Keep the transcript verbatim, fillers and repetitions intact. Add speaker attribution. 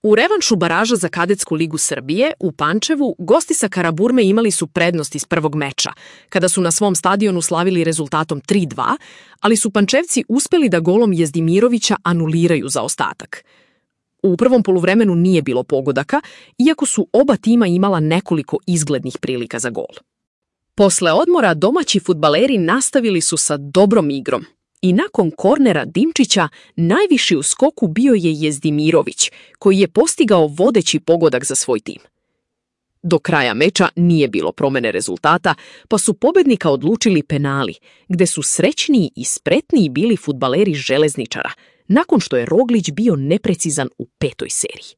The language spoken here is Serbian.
Speaker 1: U revanšu baraža za Kadetsku ligu Srbije u Pančevu gosti sa Karaburme imali su prednost iz prvog meča, kada su na svom stadionu slavili rezultatom tri dva, ali su Pančevci uspeli da golom Jezdimirovića anuliraju zaostatak. U prvom poluvremenu nije bilo pogodaka, iako su oba tima imala nekoliko izglednih prilika za gol. Posle odmora domaći fudbaleri nastavili su sa dobrom igrom i nakon kornera Dimčića najviši u skoku bio je Jezdimirović, koji je postigao vodeći pogodak za svoj tim. Do kraja meča nije bilo promene rezultata, pa su pobednika odlučili penali, gde su srećniji i spretniji bili fudbaleri Železničara, nakon što je Roglić bio neprecizan u petoj seriji.